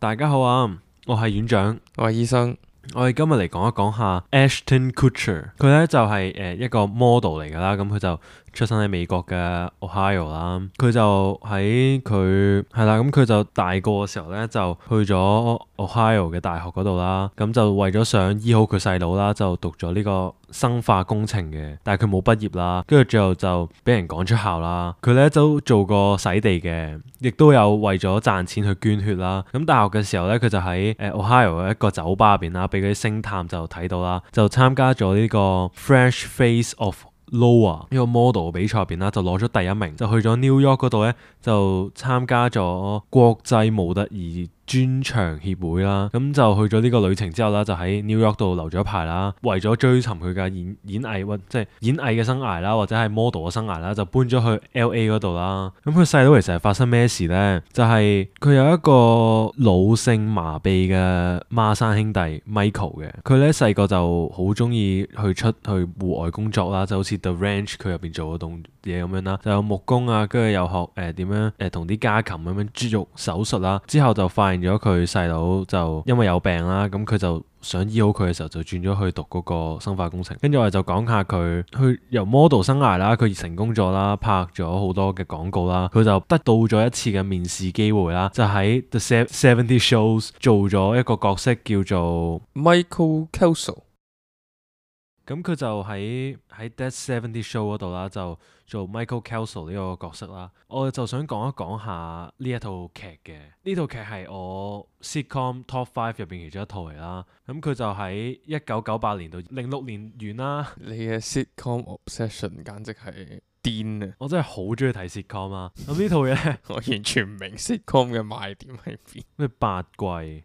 大家好啊，我係院長，我係醫生。我哋今日嚟講一講下 Ashton Kutcher，佢咧就係一個 model 嚟㗎啦，咁佢就出生喺美國嘅 Ohio 啦，佢就喺佢係啦，咁佢就大個嘅時候咧就去咗 Ohio 嘅大學嗰度啦，咁就為咗想醫好佢細佬啦，就讀咗呢個生化工程嘅，但係佢冇畢業啦，跟住最後就俾人趕出校啦。佢咧都做過洗地嘅，亦都有為咗賺錢去捐血啦。咁大學嘅時候咧，佢就喺Ohio 嘅一個酒吧入邊啦，俾嗰啲星探就睇到啦，就參加咗呢個 Fresh Face of Lower 呢個 model 比賽入邊啦，就攞咗第一名，就去咗 New York 嗰度咧，就參加咗國際模特兒專場協會啦，咁就去咗呢個旅程之後啦，就喺 New York 度留咗一排啦，為咗追尋佢嘅演藝或即係演藝嘅生涯啦，或者係 model 嘅生涯啦，就搬咗去 LA 嗰度啦。咁佢細佬其實係發生咩事呢？就係佢有一個腦性麻痹嘅孖生兄弟 Michael 嘅，佢咧細個就好中意去戶外工作啦，就好似 The Ranch 佢入邊做嗰種嘢咁樣啦，就有木工啊，跟住又學點樣同啲家禽咁樣豬肉手術啦，之後就發現咗佢細佬就因為有病啦，咁佢就想醫好佢嘅時候就轉咗去讀嗰個生化工程。跟住我哋就講下佢去由 model 生涯啦，佢成功咗啦，拍咗好多嘅廣告啦，佢就得到咗一次嘅面試機會啦，就喺 The 70 Shows 做咗一個角色叫做 Michael Kelso。咁佢就喺 That 70 Show 嗰度啦，就做 Michael Kelso 呢個角色啦。我就想講一講下呢一套劇嘅。呢套劇係我 sitcom top 5入邊其中一套嚟啦。咁佢就喺1998年到06年完啦。你嘅 sitcom obsession 簡直係癲啊！我真係好中意睇 sitcom 啊。咁呢套嘢呢我完全唔明 sitcom 嘅賣點喺邊。咩8季？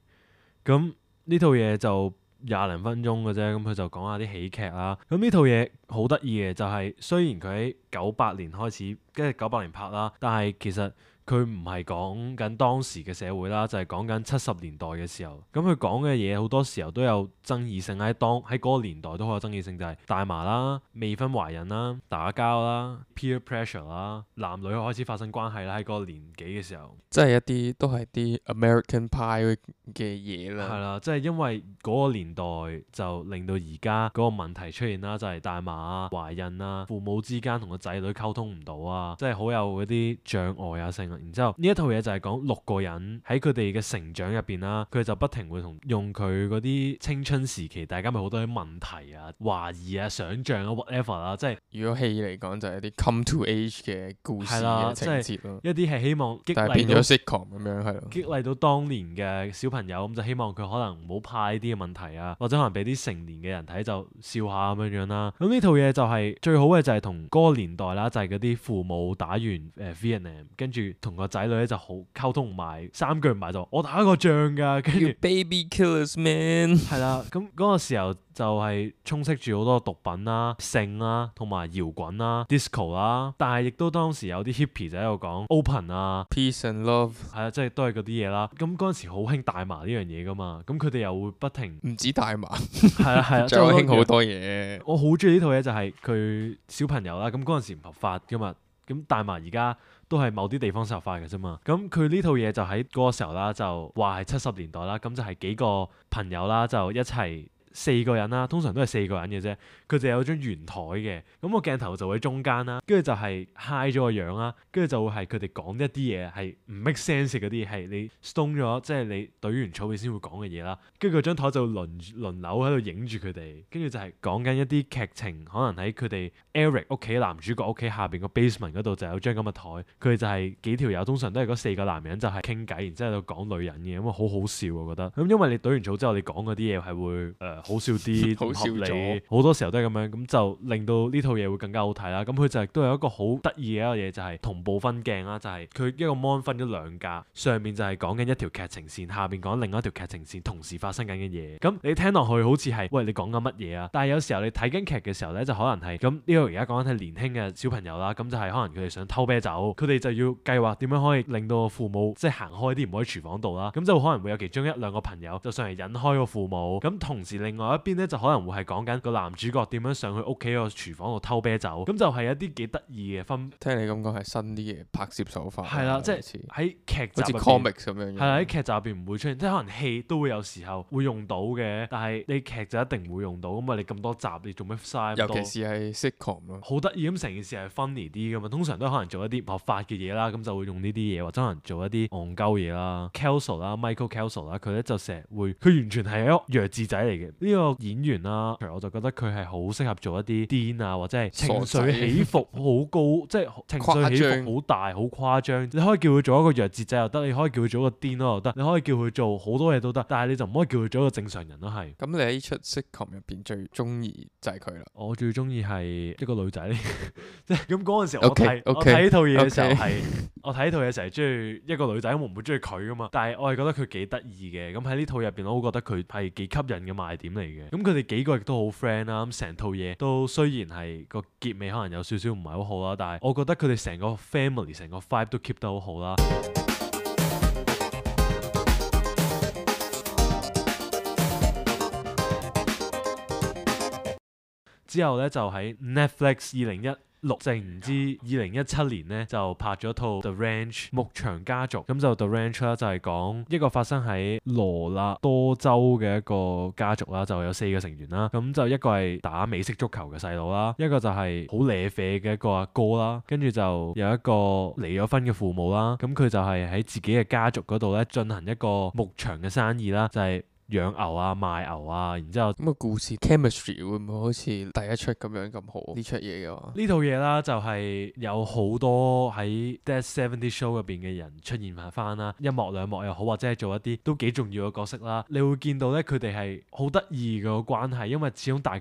咁呢套嘢就20分鐘嘅啫，咁佢就講下啲喜劇啦。咁呢套嘢好得意嘅就係，雖然佢喺98年開始，跟住98年拍啦，但係其實佢唔係講緊當時嘅社會啦，就係講緊70年代嘅時候。咁佢講嘅嘢好多時候都有爭議性，喺嗰個年代都好有爭議性，就係大麻啦、未婚懷孕啦、打交啦、peer pressure 啦、男女開始發生關係啦，喺嗰個年紀嘅時候，即係一啲都係啲 American Pie 嘅嘢啦。係啦，即係因為嗰個年代就令到而家嗰個問題出現啦，就係大麻啊、懷孕啊、父母之間同個仔女溝通唔到啊，即係好有嗰啲障礙啊性。然之後呢一套嘢就係講6個人喺佢哋嘅成長入邊啦，佢就不停會用佢嗰啲青春時期，大家咪好多啲問題啊、懷疑啊、想像啊 whatever 啦，即係如果戲嚟講就係一啲 come to age 嘅故事嘅情節咯。一啲係希望激但係變咗勵到 sitcom 咁樣係咯。激勵到當年嘅小朋友，咁就希望佢可能唔好怕呢啲嘅問題啊，或者可能俾啲成年嘅人睇就笑下咁樣樣啦。咁呢套嘢就係最好嘅就係同嗰個年代啦，就係嗰啲父母打完Vietnam，跟住同個仔女咧就好溝通唔埋，3句唔埋就我打過仗㗎，跟住 baby killers man 係啦。咁嗰個時候就係充斥住好多毒品啦、性啦、同埋搖滾啦、disco 啦，但係亦都當時有啲 hippie 就喺度講 open 啊、peace and love，係啊，即係都係嗰啲嘢啦。咁嗰陣時好興大麻呢樣嘢㗎嘛，咁佢哋又會不停唔止大麻，係啊係啊，仲有興好多嘢。我好中意呢套嘢就係佢小朋友啦，咁嗰陣時唔合法㗎嘛，咁大麻而家都係某啲地方合法嘅啫嘛。咁佢呢套嘢就喺嗰個時候啦，就話係70年代啦，咁就係幾個朋友啦，就一齊4個人啦，通常都係4個人嘅啫。佢哋有張圓台嘅，咁個鏡頭就會喺中間啦，跟住就係 high 咗個樣啦，跟住就會係佢哋講一啲嘢係唔 make sense 嗰啲，係你 stone 咗，即係你懟完草你先會講嘅嘢啦。跟住嗰張台就輪流喺度影住佢哋，跟住就係講緊一啲劇情，可能喺佢哋 Eric 屋企男主角屋企下邊個 basement 嗰度就有張咁嘅台，佢哋就係幾條友，通常都係嗰4個男人就係傾偈，然之後喺度講女人嘅，咁啊好好笑我覺得。咁因為你懟完草之後，你講嗰啲嘢係會好笑啲，唔合理，好多時候都係咁樣，咁就令到呢套嘢會更加好睇啦。咁佢就亦都有一個好得意嘅一個嘢，就係同步分鏡啦，就係佢一個 mon 分咗2格，上面就係講緊一條劇情線，下邊講另一條劇情線，同時發生緊嘅嘢。咁你聽落去好似係喂，你講緊乜嘢啊？但係有時候你睇緊劇嘅時候咧，就可能係咁，呢個而家講緊係年輕嘅小朋友啦，咁就係可能佢哋想偷啤酒，佢哋就要計劃點樣可以令到父母即係行開啲，唔好喺廚房度啦。咁就可能會有其中1-2個朋友就上嚟引開個父母，咁同時另另外一邊咧就可能會係講緊個男主角點樣上去屋企個廚房度偷啤酒，咁就係一啲幾得意嘅分。聽你咁講係新啲嘅拍攝手法。係啦，即係喺劇集好似 comics 咁樣。係啦，喺劇集入邊唔會出現，即係可能戲都會有時候會用到嘅，但係你劇就一定唔會用到，咁啊你咁多集你做咩嘥咁多？尤其是係 sitcom 咯，好得意咁成件事係 funny 啲㗎嘛，通常都可能做一啲唔合法嘅嘢啦，咁就會用呢啲嘢，或者可能做一啲戇鳩嘢啦。Kelso 啦，Michael Kelso 啦，佢咧就成日會，佢完全係一個弱智仔嚟嘅呢個演員啦，我就覺得佢係好適合做一啲癲啊，或者係情緒起伏好高，即係情緒起伏好大、好誇張。你可以叫佢做一個弱智仔又得，你可以叫佢做一個癲咯又得，你可以叫佢做好多嘢都得，但係你就唔可以叫佢做一個正常人咯係。咁你喺出 sitcom 入邊最中意就係佢啦。我最中意係一個女仔嚟，即係咁嗰陣時我睇 Okay, okay, 我睇呢套嘢嘅時候 okay. 係我睇呢套嘢成日中意一個女仔，我唔會中意佢噶嘛。但係我係覺得佢幾得意嘅，咁喺呢套入邊我都覺得佢係幾吸引嘅賣點嚟嘅。咁佢哋幾個亦都好 friend 啦，咁成套嘢都雖然係個結尾可能有少少唔係好好啦，但係我覺得佢哋成個 family 成個 vibe 都 keep 得好好啦。之後咧就喺 Netflix 2016定唔知2017年咧就拍咗套 The Ranch 牧場家族，咁就 The Ranch 啦，就係講一個發生喺羅納多州嘅一個家族啦，就有4個成員啦，咁就一個係打美式足球嘅細佬啦，一個就係好瀨啡嘅一個阿哥啦，跟住就有一個離咗婚嘅父母啦，咁佢就係喺自己嘅家族嗰度咧進行一個牧場嘅生意啦，就係養牛啊、賣牛啊，然之後咁個故事 chemistry 會唔會好似第一出咁樣咁好呢出嘢嘅話？呢套嘢啦就係有好多喺 That 70 Show 入邊嘅人出現翻啦，一幕兩幕又好，或者係做一啲都幾重要嘅角色啦。你會見到咧佢哋係好得意嘅關係，因為始終大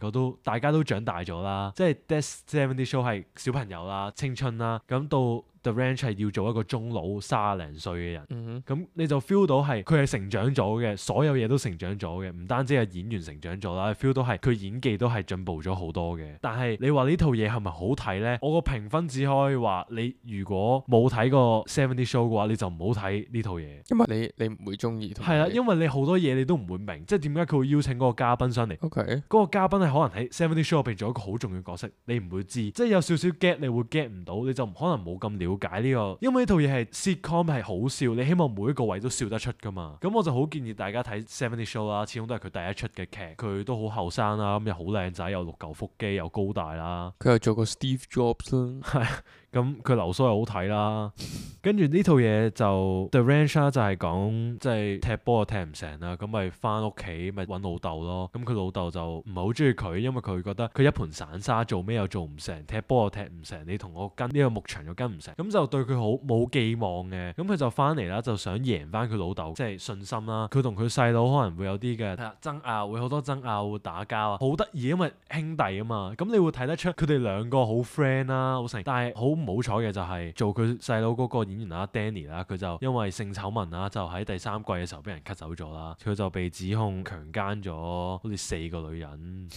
家都長大咗啦，即係 That 70 Show 係小朋友啦、青春啦，咁到The Ranch 係要做一個中老30零歲嘅人，咁你就 feel 到係佢係成長咗嘅，所有嘢都成長咗嘅，唔單止係演員成長咗啦， feel 到係佢演技都係進步咗好多嘅。但係你話呢套嘢係咪好睇呢？我個評分只可以話你如果冇睇過70 Show 嘅話，你就唔好睇呢套嘢，因為你唔會中意。係啦，因為你好多嘢你都唔會明，即係點解佢會邀請嗰個嘉賓上嚟。OK，嗰個嘉賓係可能喺70 Show 入邊做一個好重要嘅角色，你唔會知，即係有少少 get 你會 get 唔到，你就可能冇咁了解呢個，因為呢套嘢係 sitcom 係好笑，你希望每一個位都笑得出噶嘛。咁我就好建議大家睇70 Show 啦，始終都係佢第一出嘅劇，佢都好後生啦，咁又好靚仔，有6嚿腹肌，又高大啦。佢又做過 Steve Jobs 啦，係咁佢流蘇又好睇啦。跟住呢套嘢就 The Ranch 啦，就係講即係踢波又踢唔成啦，咁咪翻屋企咪揾老豆咯。咁佢老豆就唔係好中意佢，因為佢覺得佢一盤散沙，做咩又做唔成，踢波又踢唔成，你同我跟呢個牧場又跟唔成，咁就對佢好冇寄望嘅。咁佢就翻嚟啦，就想贏翻佢老豆即係信心啦。佢同佢細佬可能會有啲嘅爭拗，會好多爭拗，會打交啊，好得意，因為兄弟啊嘛。咁你會睇得出佢哋兩個好 friend 啦，好成。但係好唔好彩嘅就係做佢細佬嗰個演員啦 Danny 啦，佢就因為性醜聞啦，就喺第3季嘅時候俾人 cut 走咗啦。佢就被指控強姦咗好似4個女人，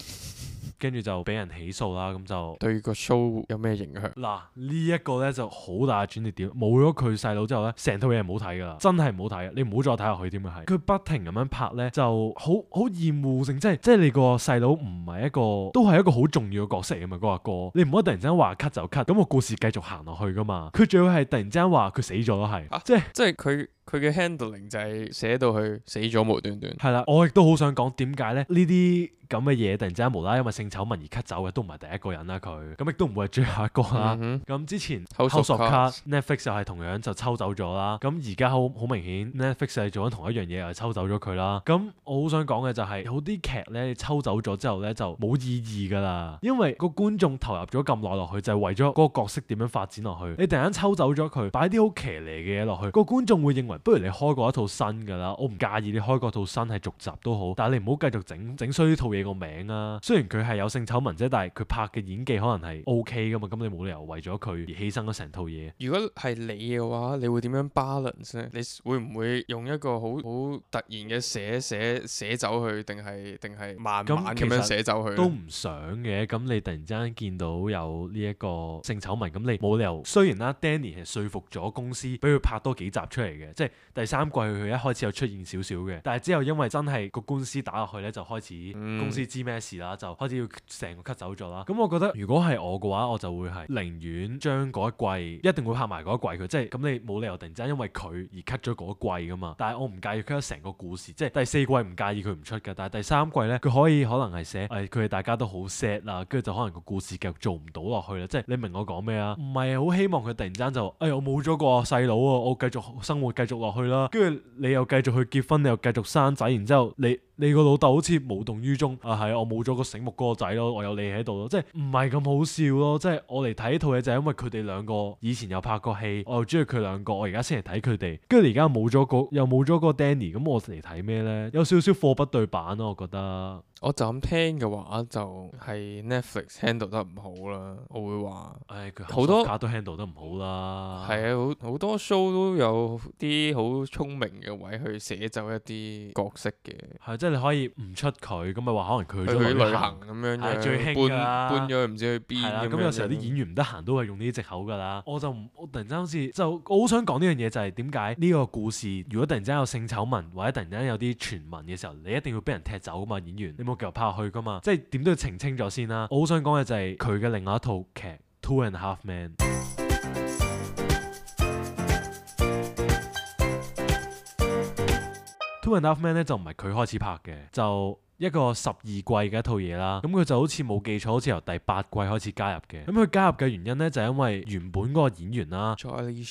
跟住就俾人起訴啦。咁就對個 show 有咩影響？嗱，呢一個咧就好大嘅轉捩點，冇咗佢細佬之後咧，成套嘢唔好睇噶啦，真係唔好睇，你唔好再睇落去添啊！係佢不停咁樣拍咧，就好厭惡性，即係你個細佬唔係一個，都係一個好重要嘅角色啊嘛，嗰個阿哥，你唔可以突然之間話 cut 就 cut，咁個故事繼續行落去噶嘛。佢仲要係突然之間話佢死咗咯，係，即係佢嘅 handling 就係寫到佢死咗無端端。係啦，我亦都好想講點解咧？呢啲咁嘅嘢突然之間無啦啦因為性醜聞而 cut 走嘅，都唔係第一個人啦佢，咁亦都唔會係最後一個啦。咁之前 House of Cards Netflix 又係同樣就抽走咗啦。咁而家好明顯 Netflix 係做緊同一樣嘢，又係抽走咗佢啦。咁我好想講嘅就係有啲劇咧抽走咗之後咧就冇意義㗎啦，因為個觀眾投入咗咁耐落去就係為咗嗰個角色點樣發展落去。你突然間抽走咗佢，擺啲好騎呢嘅嘢落去，個觀眾會認為不如你開過一套新㗎啦。我唔介意你開過套新係續集都好，但係你唔好繼續整衰呢套嘢個名啊。雖然佢係有性醜聞啫，但係佢拍嘅演技可能係 OK 㗎嘛。咁你冇理由為咗佢而犧牲咗成套嘢。如果係你嘅話，你會點樣 balance 咧？你會唔會用一個好突然嘅寫走佢，定係慢慢咁樣寫走佢？都唔想嘅。咁你突然之間見到有呢一個性醜聞，咁你冇理由。雖然啦，Danny 係說服咗公司俾佢拍多幾集出嚟嘅，即係第三季佢一開始有出現少少嘅，但係之後因為真係個官司打落去咧，就開始公司知咩事啦，就開始要成個 cut 走咗啦。咁我覺得如果係我嘅話，我就會係寧願將嗰一季一定會拍埋嗰一季佢，即係咁你冇理由突然之間因為佢而 cut 咗嗰一季噶嘛。但係我唔介意 cut 咗成個故事，即係第四季唔介意佢唔出嘅，但係第三季咧佢可以可能係寫佢哋大家都好 sad 啦，跟住就可能個故事繼續做唔到落去啦。即係你明我講咩啊？唔係好希望佢突然間就我冇咗個細佬啊，我繼續生活繼續落去啦，跟住你又繼續去結婚，你又繼續生仔，然之後你個老豆好似無動於衷啊，係我冇咗個醒目嗰個仔咯，我有你喺度咯，即係唔係咁好笑咯。即係我嚟睇呢套嘢就係因為佢哋兩個以前有拍過戲，我又中意佢兩個，我而家先嚟睇佢哋，跟住而家又冇咗個 Danny， 咁我嚟睇咩咧？有少少貨不對版咯，我覺得。我就咁聽嘅話，就係 Netflix handle 得唔好啦。我會話，佢好多卡都 handle 得唔好啦。係啊，好多 show 都有啲好聰明嘅位去寫走一啲角色嘅。係，即係你可以唔出佢，咁咪話可能佢去旅行咁樣嘅，最興㗎啦，搬咗去唔知去邊。係啦，咁有時候啲演員唔得閒都係用呢啲藉口㗎啦。我突然間好似我好想講呢樣嘢，就係點解呢個故事如果突然間有性醜聞或者突然間有啲傳聞嘅時候，你一定要俾人踢走㗎嘛，演員你冇繼續拍落去㗎嘛，即係點都要澄清咗先啦。我好想講嘅就係佢嘅另外一套劇《Two and a Half Men》。Two and a Half Men 咧就唔係佢開始拍嘅，就一個12季嘅一套嘢啦。咁佢就好似冇記錯，好似由第8季開始加入嘅。咁佢加入嘅原因咧就係因為原本嗰個演員啦 Charlie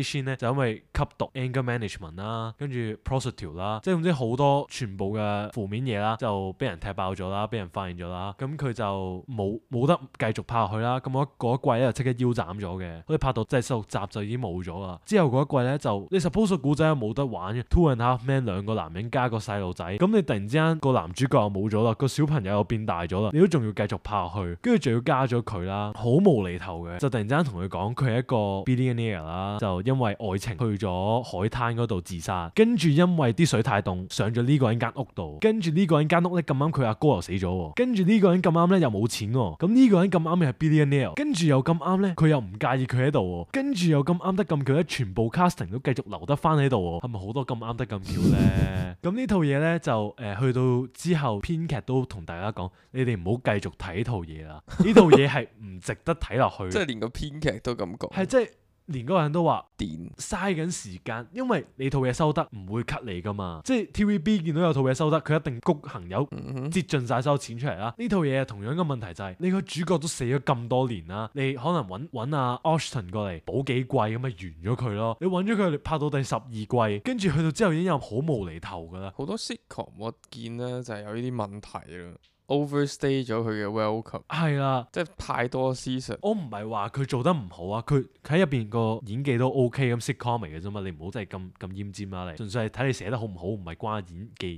Sheen 咧就因為吸毒 anger management 啦，跟住 prostitute 啦，即係總之好多全部嘅負面嘢啦，就俾人踢爆咗啦，俾人發現咗啦。咁佢就冇得繼續拍落去啦。咁嗰一季咧就即刻腰斬咗嘅，好似拍到即係16集就已經冇咗啦。之後嗰一季咧就你 suppose 個古仔係冇得玩嘅 Two and a Half Men 兩個男人加個細路仔，咁你突然之間個男主角又冇咗啦，個小朋友又變大咗啦，你都仲要繼續拍落去，跟住仲要加咗佢啦，好無厘頭嘅，就突然之間同佢講佢係一個 billionaire 啦，就因為愛情去咗海灘嗰度自殺，跟住因為啲水太凍上咗呢個人間屋度，跟住呢個人間屋咧咁啱佢阿哥又死咗，跟住呢個人咁啱咧又冇錢喎，咁呢個人咁啱又係 billionaire，跟住又咁啱咧佢又唔介意佢喺度，跟住又咁啱得咁巧咧，全部 casting 都繼續留得翻喺度，係咪好多咁啱得咁巧咧？咁呢套嘢咧就去到之後。編劇都同大家講，你哋唔好繼續睇呢套嘢啦，呢套嘢係唔值得睇落去。即係連個編劇都咁講，係即係連嗰個人都話癲嘥緊時間，因為你套嘢收得唔會 cut 你噶嘛。即係 TVB 見到有套嘢收得，佢一定谷行有擠盡晒所有錢出嚟啦。呢套嘢同樣嘅問題就係，你個主角都死咗咁多年啦，你可能揾阿 Ashton 過嚟補幾季咁咪完咗佢咯。你揾咗佢拍到第12季，跟住去到之後已經有好無厘頭噶啦。好多 sitcom 我見咧就係有呢啲問題啦。overstay 咗佢嘅 welcome 係啦，即係太多 season。我唔係話佢做得唔好啊，佢喺入邊個演技都 OK 咁 sitcom 嚟嘅啫嘛，你唔好真係咁奄尖啦，你純粹係睇你寫得好唔好，唔係關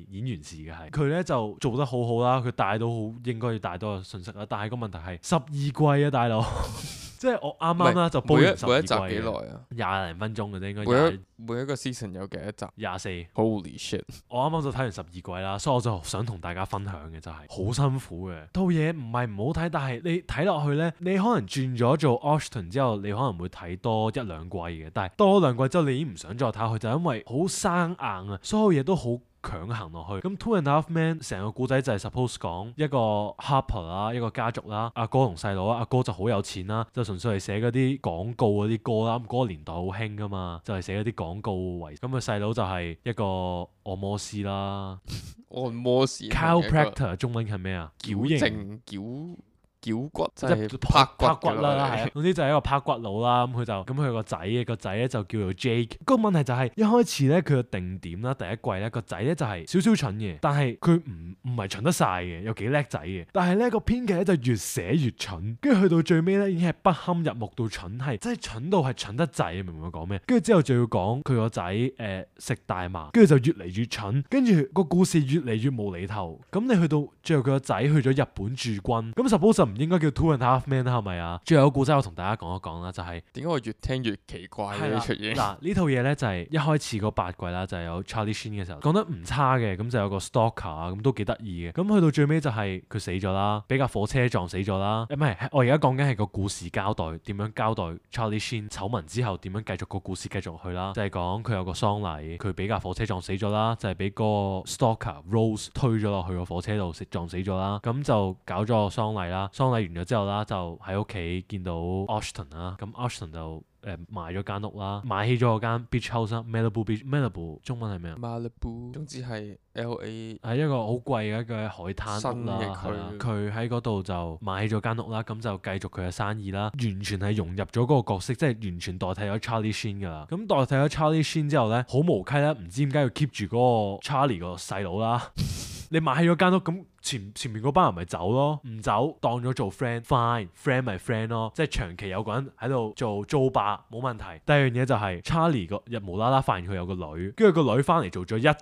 演員事嘅係。佢咧就做得好好啦，佢帶到好應該要帶多個信息啦，但係個問題係12季啊，大佬。即係我啱啱啦就煲完12季，每一集幾耐啊？20零分鐘嘅啫，應該每一個 season 有幾多集？24。Holy shit！我啱啱就睇完12季啦，所以我就想同大家分享嘅就係好辛苦嘅套嘢，唔係唔好睇，但係你睇落去咧，你可能轉咗做 Ashton 之後，你可能會睇多1兩季嘅，但係多2季之後，你已經唔想再睇落去，就因為好生硬啊，所有嘢都好強行落去。咁 Two and a Half Men 成個故仔就係 suppose 講一個 Harper 啦，一個家族啦，阿哥同細佬啊，阿哥就好有錢啦，就純粹係寫嗰啲廣告嗰啲歌啦。咁嗰個年代好興噶嘛，就係寫嗰啲廣告為。咁個細佬就係一個按摩師啦，按摩師 chiropractor 中文係咩啊？矯形矯骨即係拍骨啦，係啊，總之就係一個拍骨佬啦。咁佢個仔咧就叫做 Jake。個問題就係一開始咧佢個定點啦，第一季咧個仔咧就係少少蠢嘅，但係佢唔係蠢得晒嘅，有幾叻仔嘅。但係咧個編劇咧就越寫越蠢，跟住去到最尾咧已經係不堪入目到蠢，係真係蠢到係蠢得滯，明唔明我講咩？跟住之後就要講佢個仔食大麻，跟住就越嚟越蠢，跟住個故事越嚟越無厘頭。咁你去到最後佢個仔去咗日本駐軍，咁 suppose 唔唔應該叫 Two and a Half Men 啦，係咪啊？最後一個故仔我同大家講一講啦，就係點解我越聽越奇怪嘅呢出嘢？嗱，呢套嘢咧就係一開始嗰8季啦，就係有 Charlie Sheen 嘅時候講得唔差嘅，咁就有個 stalker 啊，咁都幾得意嘅。咁去到最尾就係佢死咗啦，俾架火車撞死咗啦。唔係，我而家講緊係個故事交代，點樣交代 Charlie Sheen 醜聞之後點樣繼續個故事繼續去啦，就係講佢有個喪禮，佢俾架火車撞死咗啦，就係俾個 stalker Rose 推咗落去個火車度撞死咗啦。咁就搞咗個喪禮啦，喪禮完咗之後啦，就喺屋企見到 Ashton 啦，咁 Ashton 就買咗間屋啦，買起咗嗰間 beach house 啦 ，Malibu Beach，Malibu 中文係咩啊 ？Malibu 總之係 LA 係一個好貴嘅一個海灘屋啦，係啦，佢喺嗰度就買起咗間屋啦，咁就繼續佢嘅生意啦，完全係融入咗嗰個角色，即係完全代替咗 Charlie Sheen 噶啦。咁代替咗 Charlie Sheen 之後咧，好無稽啦，唔知點解要 keep 住嗰個 Charlie 個細佬啦。你買起咗間屋，咁前面嗰班人咪走咯，唔走當咗做 friend，fine，friend 咪 friend 咯，即係長期有個人喺度做租霸冇問題。第二樣嘢就係 Charlie 個日無啦啦發現佢有個女，跟住個女翻嚟做咗一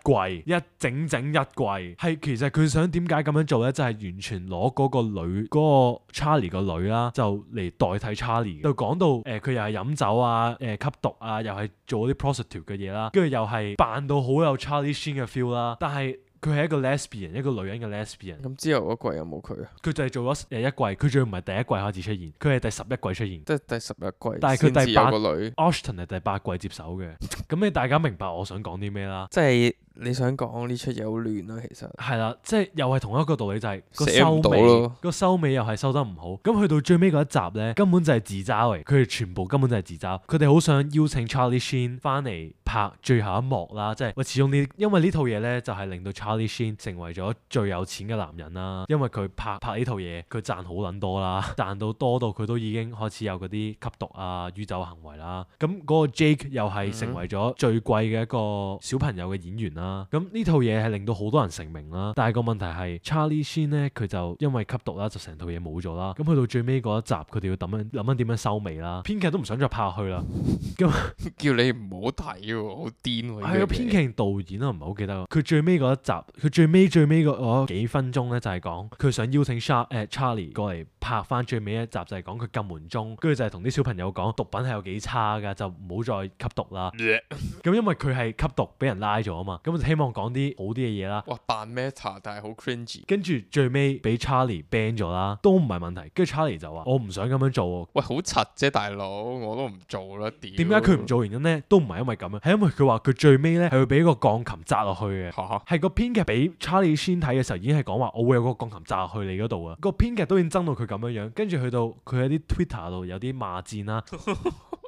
整一季，係其實佢想點解咁樣做咧？就係完全攞嗰個女嗰個 Charlie 個女啦，就嚟代替 Charlie，就講到佢又係飲酒啊，吸毒啊，又係做啲 prostitute 嘅嘢啦，跟住又係扮到好有 Charlie Sheen 嘅 feel 啦，但係佢係一個 lesbian， 一個女人嘅 lesbian。咁之後嗰季有冇佢啊？佢就係做咗一季，佢仲要唔係第一季開始出現，佢係第11季出現。即係第11季，但係佢第8個女 Ashton 係第8季接手嘅。咁你大家明白我想講啲咩啦？即係你想講呢出嘢好亂咯，其實係啦，即係又係同一個道理，就係個寫唔到咯，個收尾又係收得唔好。咁去到最尾嗰一集咧，根本就係自嘲嚟，佢哋全部根本就係自嘲。佢哋好想邀請 Charlie Sheen 翻嚟拍最後一幕啦，即係喂，始終呢，因為呢套嘢咧就係令到 Charlie Sheen 成為咗最有錢嘅男人啦。因為佢拍呢套嘢，佢賺好撚多啦，賺到多到佢都已經開始有嗰啲吸毒啊、酗酒行為啦。咁嗰個 Jake 又係成為咗最貴嘅一個小朋友嘅演員啦。咁呢套嘢係令到好多人成名啦，但係個問題係 Charlie Sheen 咧，佢就因為吸毒啦，就成套嘢冇咗啦。咁去到最尾嗰一集，佢哋要諗緊點樣收尾啦。編劇都唔想再拍落去啦。咁叫你唔好睇喎，好癲喎！係個編劇導演啊，唔係好記得。佢最尾嗰一集，佢最尾嗰幾分鐘咧，就係講佢想邀請 Charlie 過嚟拍翻最尾一集，就係講佢禁門鐘，跟住就係同啲小朋友講毒品係有幾差㗎，就唔好再吸毒啦。咁因為佢係吸毒俾人拉咗啊嘛，咁就希望講啲好啲嘅嘢啦。哇，扮 meta 但係好 cringy。跟住最尾俾 Charlie ban 咗啦，都唔係問題。跟住 Charlie 就話：我唔想咁樣做喎。喂，好柒啫，大佬，我都唔做啦。點解佢唔做原因咧？都唔係因為咁樣，係因為佢話佢最尾咧係會俾個鋼琴砸落去嘅。係個編劇俾 Charlie Sheen 睇嘅時候已經係講話，我會有個鋼琴砸落去你嗰度啊。個編劇都已經憎到佢咁樣樣，跟住去到佢喺啲 Twitter 度有啲罵戰啦。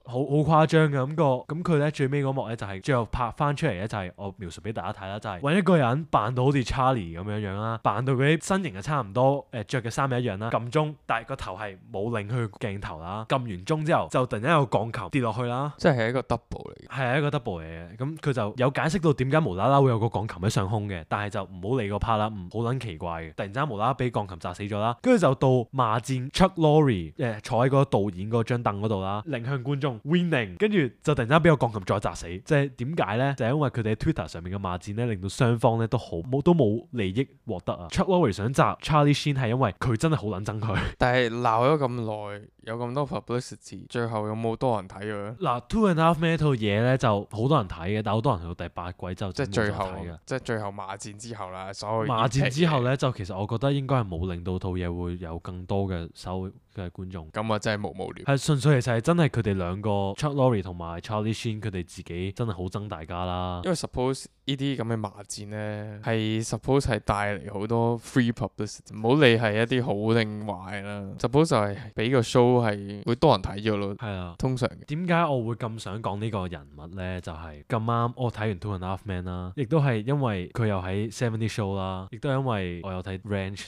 好誇張嘅咁佢咧最尾嗰幕咧就係最後拍翻出嚟咧，就係我描述俾大家睇啦，就係揾一個人扮到好似 Charlie 咁樣樣啦，扮到佢啲身形係差唔多，着嘅衫係一樣啦，撳鐘，但係個頭係冇擰去鏡頭啦，撳完鐘之後就突然間有個鋼琴跌落去啦，即係一個 double 嚟嘅，係一個 double 嚟嘅。咁佢就有解釋到點解無啦啦會有個鋼琴喺上空嘅，但係就唔好理個 part 啦，好撚奇怪嘅，突然之間無啦啦俾鋼琴砸死咗啦，跟住就到罵戰 Chuck Lorre 坐喺個導演嗰張凳嗰度啦，擰向觀眾 winning，跟住就突然間俾個鋼琴再砸死，即係點解咧？就係因為佢哋喺 Twitter 上面嘅罵戰咧，令到雙方咧都冇利益獲得啊。Chuck Lorre 想砸 Charlie Sheen 係因為佢真係好撚憎佢，但係鬧咗咁耐，有咁多 publicity， 最後有冇多人睇佢？嗱，Two and a Half Men呢套嘢咧就好多人睇嘅，但係好多人去到第8季之後即係最後罵戰之後啦，所有罵戰之後咧就其實我覺得應該係冇令到套嘢會有更多嘅收嘅觀眾。咁啊真係無聊。係純粹其實係真係佢哋兩個 Chuck Lorre 同埋 Charlie Sheen 佢哋自己真係好憎大家啦。因為 suppose 呢啲咁嘅罵戰咧係 suppose 係帶嚟好多 free publicity， 唔好理係一啲好定壞啦。suppose 就係俾個 show 係會多人睇咗咯。係啊，通常點解我會咁想講呢個人物咧？就係咁啱我睇完 Two and a Half Men 啦，亦都係因為佢又喺 70 Show 啦，亦都係因為我有睇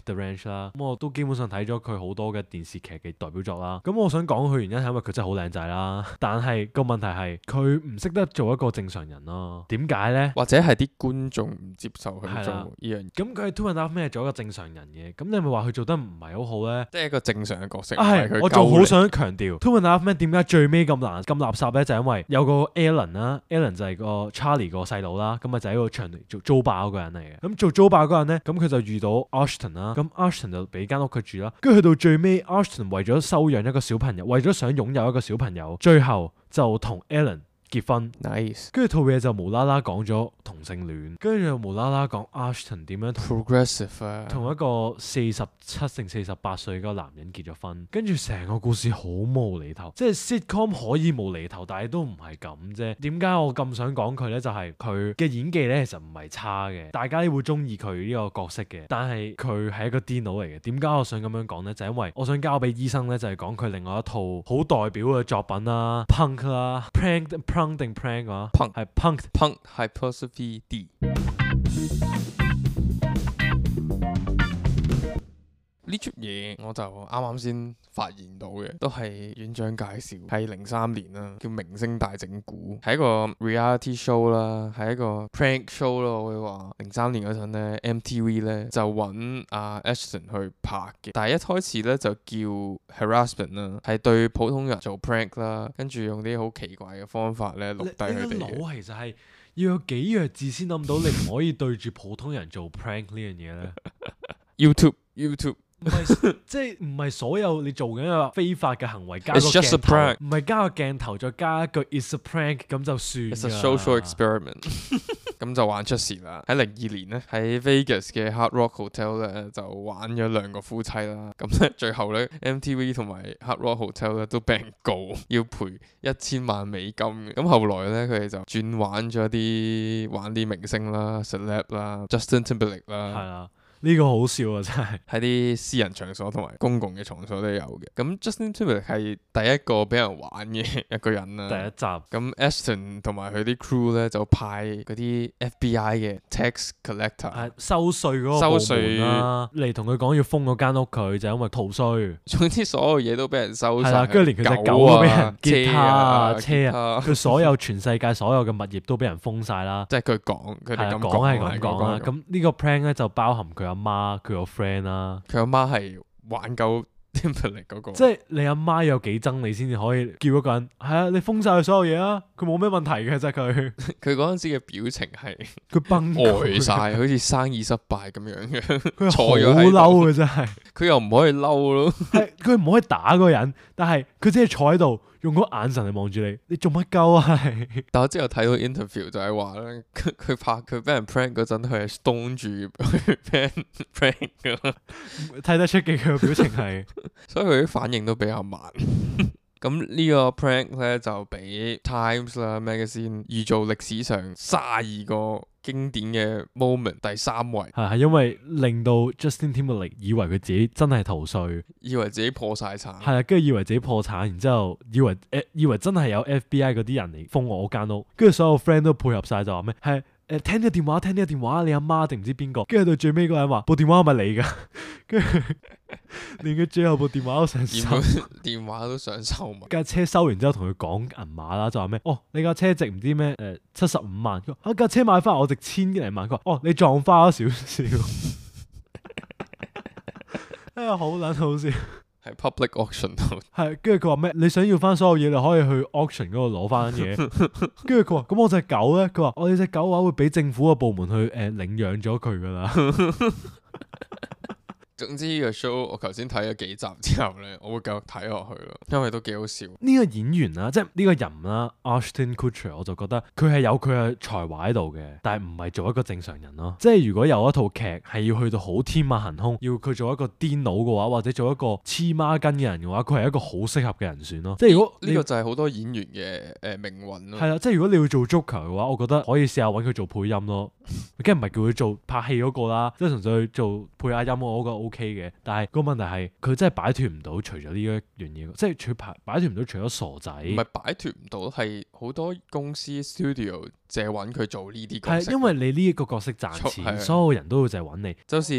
The Ranch 啦。咁我都基本上睇咗佢好多嘅電視劇嘅代表作啦。咁我想講佢原因係因為佢真係好靚仔啦，但係個問題係佢唔識得做一個正常人咯。點解咧？或者係係啲觀眾唔接受佢做呢樣嘢。咁佢喺 Two and a Half Men 做一個正常人嘅，咁你咪話佢做得唔係好好咧？即係一個正常嘅角色。我就好想強調 Two and a Half Men 點解最尾咁難咁垃圾咧？就係因為有個 Alan 啦，Alan 就係個 Charlie 個細佬啦，咁啊就喺個場做租霸嗰個人嚟嘅。咁做租霸嗰個人咧，咁佢就遇到 Ashton 啦，咁 Ashton 就俾間屋佢住啦。跟住去到最尾 Ashton 為咗收養一個小朋友，為咗想擁有一個小朋友，最後就同 Alan結婚。Nice。跟住套嘢就無啦啦講咗同性戀，跟住又無啦啦講 Ashton 點樣 progressive 啊，同一個47定48歲個男人結咗婚，跟住成個故事好無厘頭，即係 sitcom 可以無厘頭，但係都唔係咁啫。點解我咁想講佢呢？就係佢嘅演技呢，其實唔係差嘅，大家都會中意佢呢個角色嘅。但係佢係一個癲佬嚟嘅。點解我想咁樣講呢？就係因為我想交俾醫生呢，就係講佢另外一套好代表嘅作品啦，Punk 啦，Punk 定 prank 啊 ？Punk 係 Punk Hypostrophe D。呢出嘢我就啱啱先發現到嘅，都係院長介紹，係03年啦，叫《明星大整蠱》，係一個 reality show 啦，係一個 prank show 咯。我會話03年嗰陣咧 ，MTV 咧就揾阿 Ashton 去拍嘅，但係一開始咧就叫 harassment 啦，係對普通人做 prank 啦，跟住用啲好奇怪嘅方法咧錄低佢哋嘅。你個腦其實係要有幾弱智先諗到你唔可以對住普通人做 prank 呢樣嘢咧？YouTube。唔係即係唔係所有你做緊一個非法嘅行為加個 It's just a 鏡頭， prank. 唔係加個鏡頭再加一句 It's a prank 咁就算。It's a social experiment 。咁就玩出事啦！喺02年咧，喺 Vegas 嘅 Hard Rock Hotel 咧就玩咗兩個夫妻啦。咁咧最後咧 MTV 同埋 Hard Rock Hotel 咧都俾人告，要賠$1000萬嘅。咁後來咧佢哋就轉玩啲明星啦、celeb 啦、Justin Timberlake 啦。係啦。呢個好笑啊！真係喺啲私人場所同埋公共嘅場所都有嘅。咁 Justin Timberlake 係第一個俾人玩嘅一個人啦。第一集。咁 Ashton 同埋佢啲 crew 咧就派嗰啲 FBI 嘅 tax collector 收稅嗰個部門啦，嚟同佢講要封嗰間屋佢，就因為逃稅。總之所有嘢都俾人收晒。係啦，跟住連佢隻狗都俾人吉他啊、車啊，佢所有全世界所有嘅物業都俾人封晒啦。即係佢哋咁講係咁講啦。咁呢個 prank 咧就包含佢阿媽、佢個 friend 啦。佢阿媽係玩夠 Timberlake 嗰個。即係你阿媽有幾憎你先至可以叫一個人係啊？你封晒佢所有嘢啊！佢冇咩問題嘅啫，佢。佢嗰陣時嘅表情係佢崩呆晒，好似生意失敗咁樣嘅。佢好嬲嘅真係。佢又唔可以嬲咯。係佢唔可以打嗰個人，但係佢只係坐喺度。用嗰眼神嚟望住你，你做乜鳩啊？但我之後睇到 interview 就係話咧，佢俾人 prank 嗰陣，佢係 stone 住俾人 prank 噶，睇得出嘅佢嘅表情係，所以佢啲反應都比較慢。咁呢個 prank 咧就俾 Times 啦 Magazine 預造歷史上32個經典嘅 moment 第3位。係因為令到 Justin Timberlake 以為佢自己真係逃稅，以為自己破晒產。係啦，跟住以為自己破產，然之後以為真係有 FBI 嗰啲人嚟封我間屋，跟住所有 friend 都配合晒就話咩係聽呢個電話，你阿媽定唔知邊個？跟住到最尾嗰個人話部電話係咪你㗎？跟住連佢最後部電話都想收，電話都想收埋。架車收完之後同佢講銀碼啦，就話咩？哦，你架車值唔知咩75萬。佢話架車買翻我值1000幾萬。佢話哦，你撞花咗少少。好撚好笑。喺 public auction 度。係，跟住佢話咩？你想要翻所有嘢，你可以去 auction 嗰度攞翻嘢。跟住佢話：咁我隻狗咧？佢話：我哋隻狗嘅話會俾政府嘅部門去領養咗佢噶啦。總之呢個 show 我頭先睇咗幾集之後咧，我會繼續睇落去咯，因為都幾好笑。呢個演員啦，即係呢個人啦，Ashton Kutcher，我就覺得佢係有佢嘅才華喺度嘅，但係唔係做一個正常人咯。即係如果有一套劇係要去到好天馬行空，要佢做一個癲佬嘅話，或者做一個黐孖筋嘅人嘅話，佢係一個好適合嘅人選咯。即係如果呢個就係好多演員嘅命運咯。係啦，即係如果你要做 Joker 嘅話，我覺得可以試下揾佢做配音咯。梗係唔係叫佢做拍戲嗰個啦，即係純粹做配下音我覺得 OK 嘅。但係個問題係佢真係擺脫唔到，除咗呢一樣嘢，即係擺脫唔到，除咗傻仔。唔係擺脫唔到，係好多公司 studio 淨係揾佢做呢啲角色。係因為你呢一個角色賺錢，所有人都會淨係揾你。就好似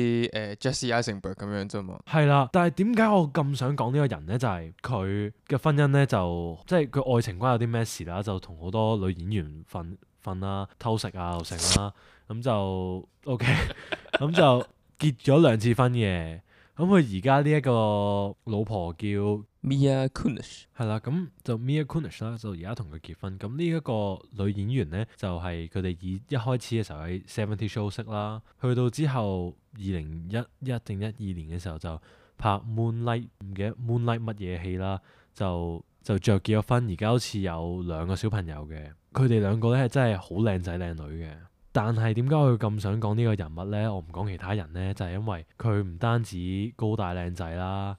Jesse Eisenberg 咁樣啫嘛。係啦，但係點解我咁想講呢個人咧？就係佢嘅婚姻咧，就即係佢愛情關有啲咩事啦，就同好多女演員分婚啦，偷食啊又成啦，咁就 OK，咁就結咗2次婚嘅。咁佢而家呢一個老婆叫 Mia Kunis， 係啦，咁就 Mia Kunis 啦，就而家同佢結婚。咁呢一個女演員咧，就係佢哋以一開始嘅時候喺 70 Show 識啦，去到之後2011定12年嘅時候就拍 Moonlight， 唔記得 Moonlight 乜嘢戲啦，就最後結咗婚，而家好似有2個小朋友嘅。佢哋2個咧係真係好靚仔靚女嘅。但係點解我會咁想講呢個人物呢？我唔講其他人呢，就係因為佢唔單止高大靚仔啦，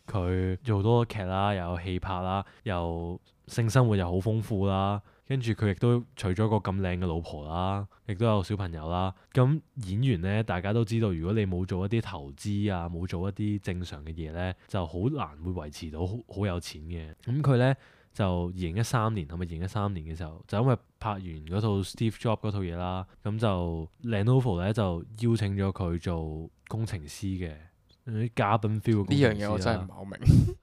佢做好多劇啦，又有戲拍啦，又性生活又好豐富啦，跟住佢亦都娶咗個咁靚嘅老婆啦，亦都有小朋友啦。咁演員呢，大家都知道，如果你冇做一啲投資啊，冇做一啲正常嘅嘢呢，就好難會維持到好有錢嘅。咁佢呢，就2013年係咪2013年嘅時候，就因為拍完嗰套 Steve Jobs 嗰套嘢啦，咁就 Lenovo 咧就邀請咗佢做工程師嘅，啲嘉賓 feel 嘅工程師啦。呢樣嘢我真係唔係好明，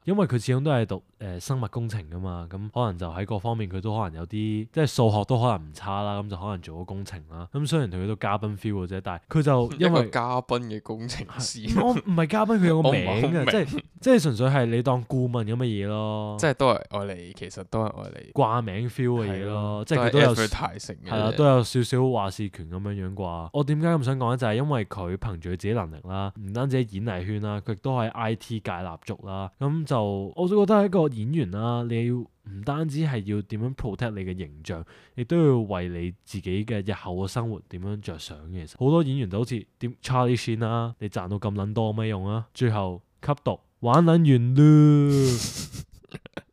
因為佢始終都係讀生物工程噶嘛，咁可能就喺各方面佢都可能有啲即係數學都可能唔差啦，咁就可能做咗工程啦。咁雖然佢都嘉賓 feel 嘅啫，但係佢就因為嘉賓嘅工程師，我唔係嘉賓，佢有個名嘅，即係純粹係你當顧問咁嘅嘢咯。即係都係愛嚟，其實都係愛嚟掛名 feel 嘅嘢咯，即係佢都有係啦，都有少少話事權咁樣樣啩。我點解咁想講咧？就係因為佢憑住佢自己能力啦，唔單止喺演藝圈啦，佢亦都喺 IT 界立足啦。咁就我都覺得係一個演員啦，你要唔單止係要點樣 protect 你嘅形象，亦都要為你自己嘅日後嘅生活點樣着想嘅。其實好多演員就好似點 Charlie Sheen 啦，你賺到咁撚多有咩用啊？最後吸毒玩撚完咯，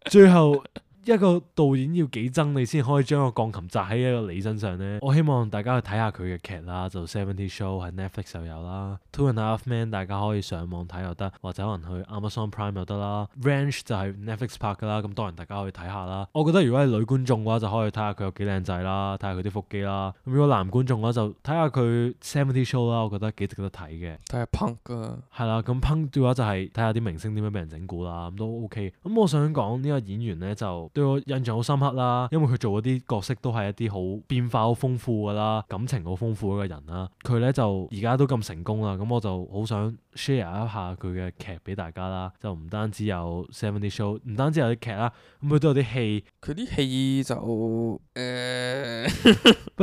最後。一個導演要幾憎你先可以將個鋼琴砸喺一個你身上呢？我希望大家去睇下佢嘅劇啦，就 70 Show 喺 Netflix 又有啦 ，Two and a Half Men 大家可以上網睇又得，或者可能去 Amazon Prime 又得啦。Ranch 就係 Netflix 拍噶啦，咁當然大家可以睇下啦。我覺得如果係女觀眾嘅話，就可以睇下佢有幾靚仔啦，睇下佢啲腹肌啦。咁如果男觀眾嘅話，就睇下佢 70 Show 啦，我覺得幾值得睇嘅。睇下 Punk 啊，係啦，咁 Punk 嘅話就係睇下啲明星點樣俾人整蠱啦，咁都 OK。咁我想講呢個演員呢，就對我印象好深刻啦，因為佢做嗰啲角色都係一啲好變化好豐富噶啦，感情好豐富嗰個人啦。佢咧就而家都咁成功啦，咁我就好想 share 一下佢嘅劇俾大家啦。就唔單止有70 Show，唔單止有啲劇啦，咁佢都有啲戲。佢啲戲就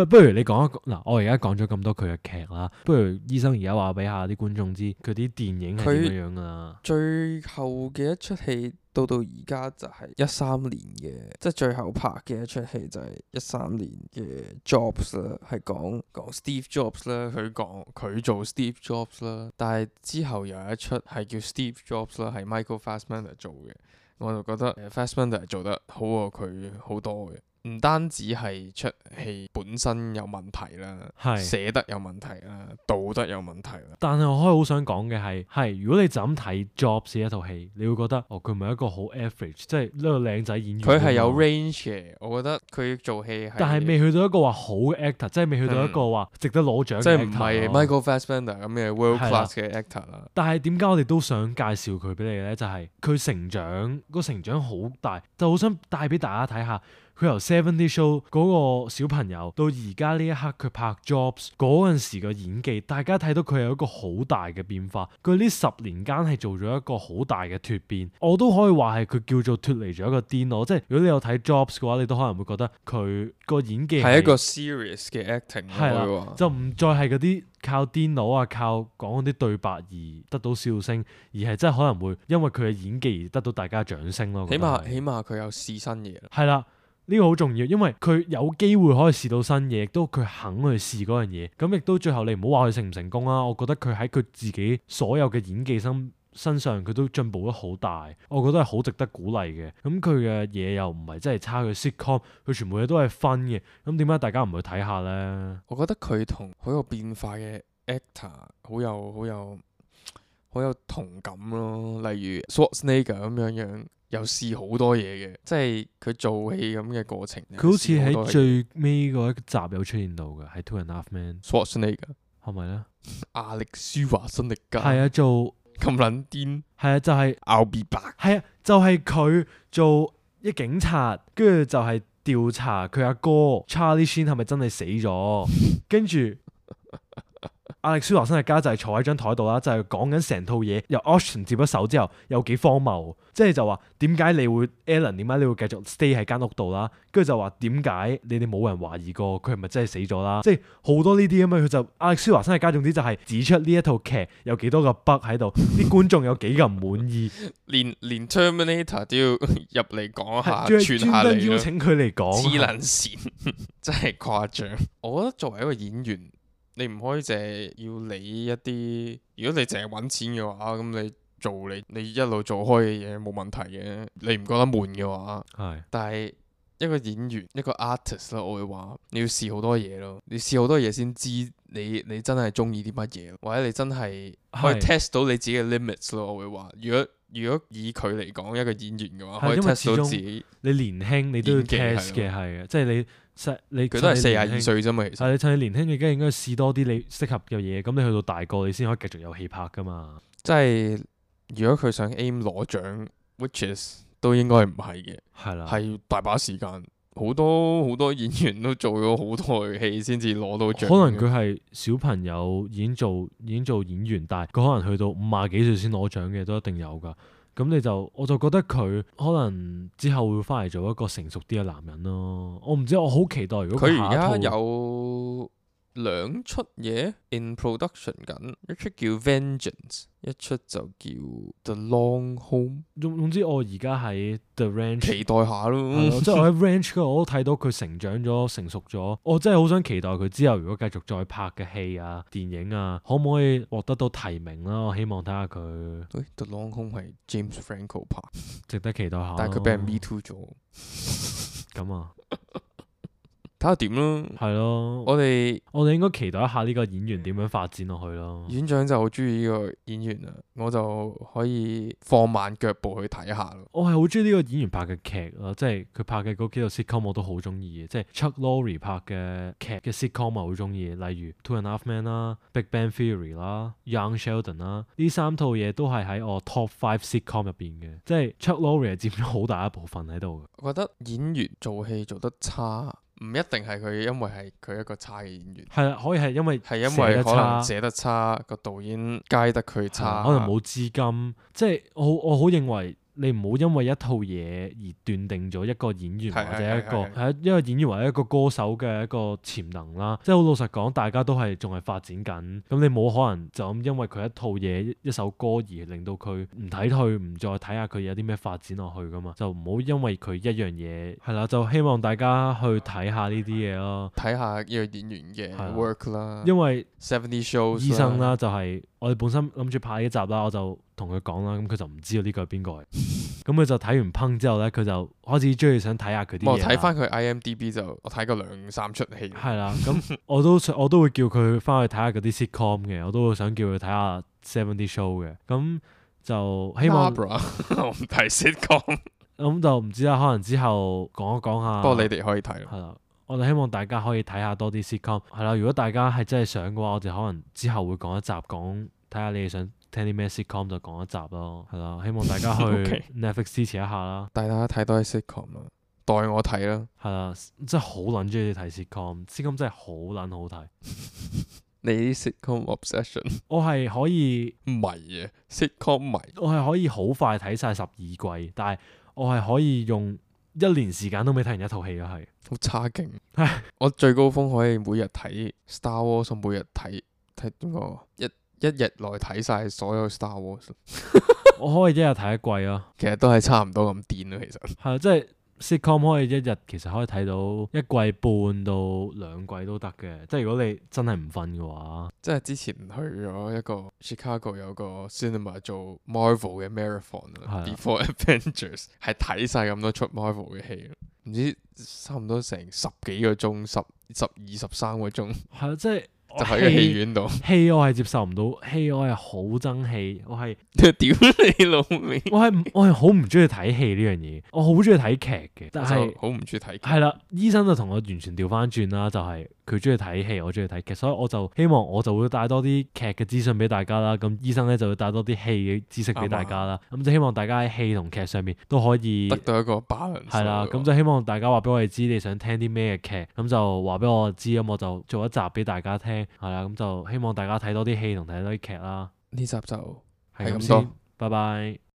不如你講一個嗱，我而家講咗咁多佢嘅劇啦，不如醫生而家話俾下啲觀眾知佢啲電影係點樣噶啦。最後嘅一出戲。到而家就係13年嘅，即係最後拍嘅一出戲就係13年嘅 Jobs 啦，係講 Steve Jobs 啦，佢做 Steve Jobs 啦，但係之後又有一出係叫 Steve Jobs 啦，係 Michael Fassbender 做嘅，我就覺得Fassbender 做得好過佢好多嘅。唔單止係出戲本身有問題啦，寫得有問題啦，導得有問題啦。但係我可以好想講嘅係如果你就咁睇 Jobs 一套戲，你會覺得佢唔係一個好 average，即係呢個靚仔演員。佢係有 range 嘅，我覺得佢做戲係。但係未去到一個話好嘅 actor，即係未去到一個話值得攞獎嘅 actor。即係唔係 Michael Fassbender 咁嘅 world class 嘅 actor 啦。但係點解我哋都想介紹佢俾你咧？就係佢成長好大，就好想帶俾大家睇下。佢由70 Show 嗰個小朋友到而家呢一刻佢拍 Jobs 嗰陣時嘅演技，大家睇到佢有一個好大嘅變化。佢呢10年間係做咗一個好大嘅蛻變，我都可以話係佢叫做脫離咗一個癲佬。即係如果你有睇 Jobs 嘅話，你都可能會覺得佢個演技係一個 serious 嘅 acting，係啦，就唔再係嗰啲靠癲佬啊，靠講嗰啲對白而得到笑聲，而係真係可能會因為佢嘅演技而得到大家掌聲咯。起碼佢有試新嘢。係啦。呢個好重要，因為佢有機會可以試到新嘢，亦都佢肯去試嗰樣嘢。咁亦都最後你唔好話佢成唔成功啦。我覺得佢喺佢自己所有嘅演技身上，佢都進步得好大。我覺得係好值得鼓勵嘅。咁佢嘅嘢又唔係真係差，佢 sitcom 佢全部嘢都係分嘅。咁點解大家唔去睇下呢？我覺得佢同好有變化嘅 actor 好有同感咯。例如 Schwarzenegger 咁樣。又試好多嘢嘅，即係佢做戲咁嘅過程。佢好似喺最尾嗰一集有出現到嘅，喺 Two and a Half Men。Schwarzenegger 係咪咧？亞歷舒華辛力加係啊，做咁撚癲。係啊，就係 I'll be back。係啊，就係佢做一警察，跟住就係調查佢阿哥 Charlie Sheen 係咪真係死咗，跟住亞歷舒華辛力加就係坐喺張台度啦，就係講緊成套嘢由 Austin 接咗手之後有幾荒謬，即係就話點解你會 Alan 點解你會繼續 stay 喺間屋度啦，跟住就話點解你哋冇人懷疑過佢係咪真係死咗啦，即係好多呢啲咁嘅，佢就亞歷舒華辛力加總之就係指出呢一套劇有幾多個 bug 喺度，啲觀眾有幾咁唔滿意，連 Terminator 都要入嚟講下，專下登邀請佢嚟講，黐撚線，真係誇張。我覺得作為一個演員，你唔可以淨係要理一啲，如果你淨係揾錢嘅話，咁你做你一路做開嘅嘢冇問題嘅，你唔覺得悶嘅話，係。但係一個演員一個 artist 啦，我會話你要試好多嘢咯，你試好多嘢先知你真係中意啲乜嘢，或者你真係可以 test 到你自己嘅 limits 咯。我會話，如果以佢嚟講一個演員嘅話，可以 test 到自己。你年輕你都要 test 嘅，係嘅，即係你佢都係42歲啫嘛，其實係你趁你年輕，你梗係應該試多啲你適合嘅嘢，咁你去到大個，你先可以繼續有戲拍噶嘛。即係如果佢想 aim 攞獎 ，which is 都應該唔係嘅，係啦，係大把時間，好多演員都做咗好多嘅戲先至攞到獎。可能佢係小朋友已經做演員，但係佢可能去到50幾歲先攞獎嘅，都一定有㗎。咁我就覺得佢可能之後會翻嚟做一個成熟啲嘅男人咯。我唔知，我好期待如果佢而家有2出嘢 in production 緊，一出叫 Vengeance， 一出就叫 The Long Home。總之我而家喺 The Ranch 期待下咯。即係我喺 Ranch 嗰度我都睇到佢成長咗、成熟咗。我真係好想期待佢之後如果繼續再拍嘅戲啊、電影啊，可唔可以獲得到提名啦？我希望睇下佢。The Long Home 係 James Franco 拍，值得期待下。但係佢俾人 Me Too 咗。咁啊！睇下點咯，係咯，我哋應該期待一下呢個演員點樣發展落去咯。院長就好中意呢個演員啊，我就可以放慢腳步去睇下咯。我係好中意呢個演員拍嘅劇咯，即係佢拍嘅嗰幾套 sitcom 我都好中意嘅，即係 Chuck Lorre 拍嘅劇嘅 sitcom 我好中意，例如 Two and a Half Men 啦、Big Bang Theory 啦、Young Sheldon 啦，呢3套嘢都係喺我 Top 5 sitcom 入邊嘅，即係 Chuck Lorre 係佔咗好大一部分喺度嘅。我覺得演員做戲做得差，唔一定係佢因為係佢一個差嘅演員，係啦，可以係因為可能寫得差，個導演街得佢差，可能冇資金，即係我好認為。你唔好因為一套嘢而斷定咗一個演員或者一個演員或者一個歌手嘅一個潛能啦。即係好老實講，大家都係仲係發展緊。咁你冇可能就咁因為佢一套嘢一首歌而令到佢唔睇退，唔再睇下佢有啲咩發展落去噶嘛？就唔好因為佢一樣嘢係啦，就希望大家去睇下呢啲嘢咯，睇下呢個演員嘅 work 啦。因為 70 shows 醫生啦，就係我哋本身諗住拍呢集啦，我就同佢講啦，咁佢就唔知道呢個係邊個嚟，咁佢就睇完烹之後咧，佢就開始中意想睇下佢啲嘢。我睇翻佢 IMDB 就我睇過2-3出戲。係啦，咁我都會叫佢翻去睇下嗰啲 sitcom 嘅，我都會想叫佢睇下 70 show 嘅，咁就希望。我唔睇 sitcom。咁就唔知啦，可能之後講一講下。不過你哋可以睇。係啦，我哋希望大家可以睇下多啲 sitcom。係啦，如果大家係真係想嘅話，我哋可能之後會講一集講，睇下你哋想聽啲咩 sitcom 就講一集咯。係啦，希望大家去 Netflix 支持一下啦。帶大家睇多啲 sitcom 啦，代我睇啦。係啦，真係好撚中意睇 sitcom 真係好撚好睇。你啲 sitcom obsession？ 我係可以迷啊 sitcom 迷。我係可以好快睇晒12季，但係我係可以用1年時間都未睇完一套戲咯，係。好差勁。我最高峰可以每日睇 Star Wars， 每日睇點講？一日內睇晒所有 Star Wars。我可以一日睇一季咯。其實都係差唔多咁癲咯，其實。係即係 sitcom 可以一日其實可以睇到1季半到2季都得嘅，即係如果你真係唔瞓嘅話。即係之前去咗一個 Chicago 有個 cinema 做 Marvel 嘅 marathon Before Avengers 係睇晒咁多出 Marvel 嘅戲，唔知差唔多成10幾個鐘，12、13個鐘。係即係。就喺個戲院度，戲我係接受唔到，戲我係好憎戲，我係屌你老味，我係好唔中意睇戲呢樣嘢，我好中意睇劇嘅，但係好唔中意睇劇。係啦，醫生就同我完全調翻轉啦，就係佢中意睇戲，我中意睇劇，所以我就希望我就會帶多啲劇嘅資訊俾大家啦。咁醫生咧就會帶多啲戲嘅知識俾大家啦。咁就希望大家喺戲同劇上面都可以得到一個 balance。係啦，咁就希望大家話俾我哋知你想聽啲咩嘅劇，咁就話俾我知，咁我就做一集俾大家聽，係啦，咁就希望大家睇多啲戲同睇多啲劇啦。呢集就係咁先，拜拜。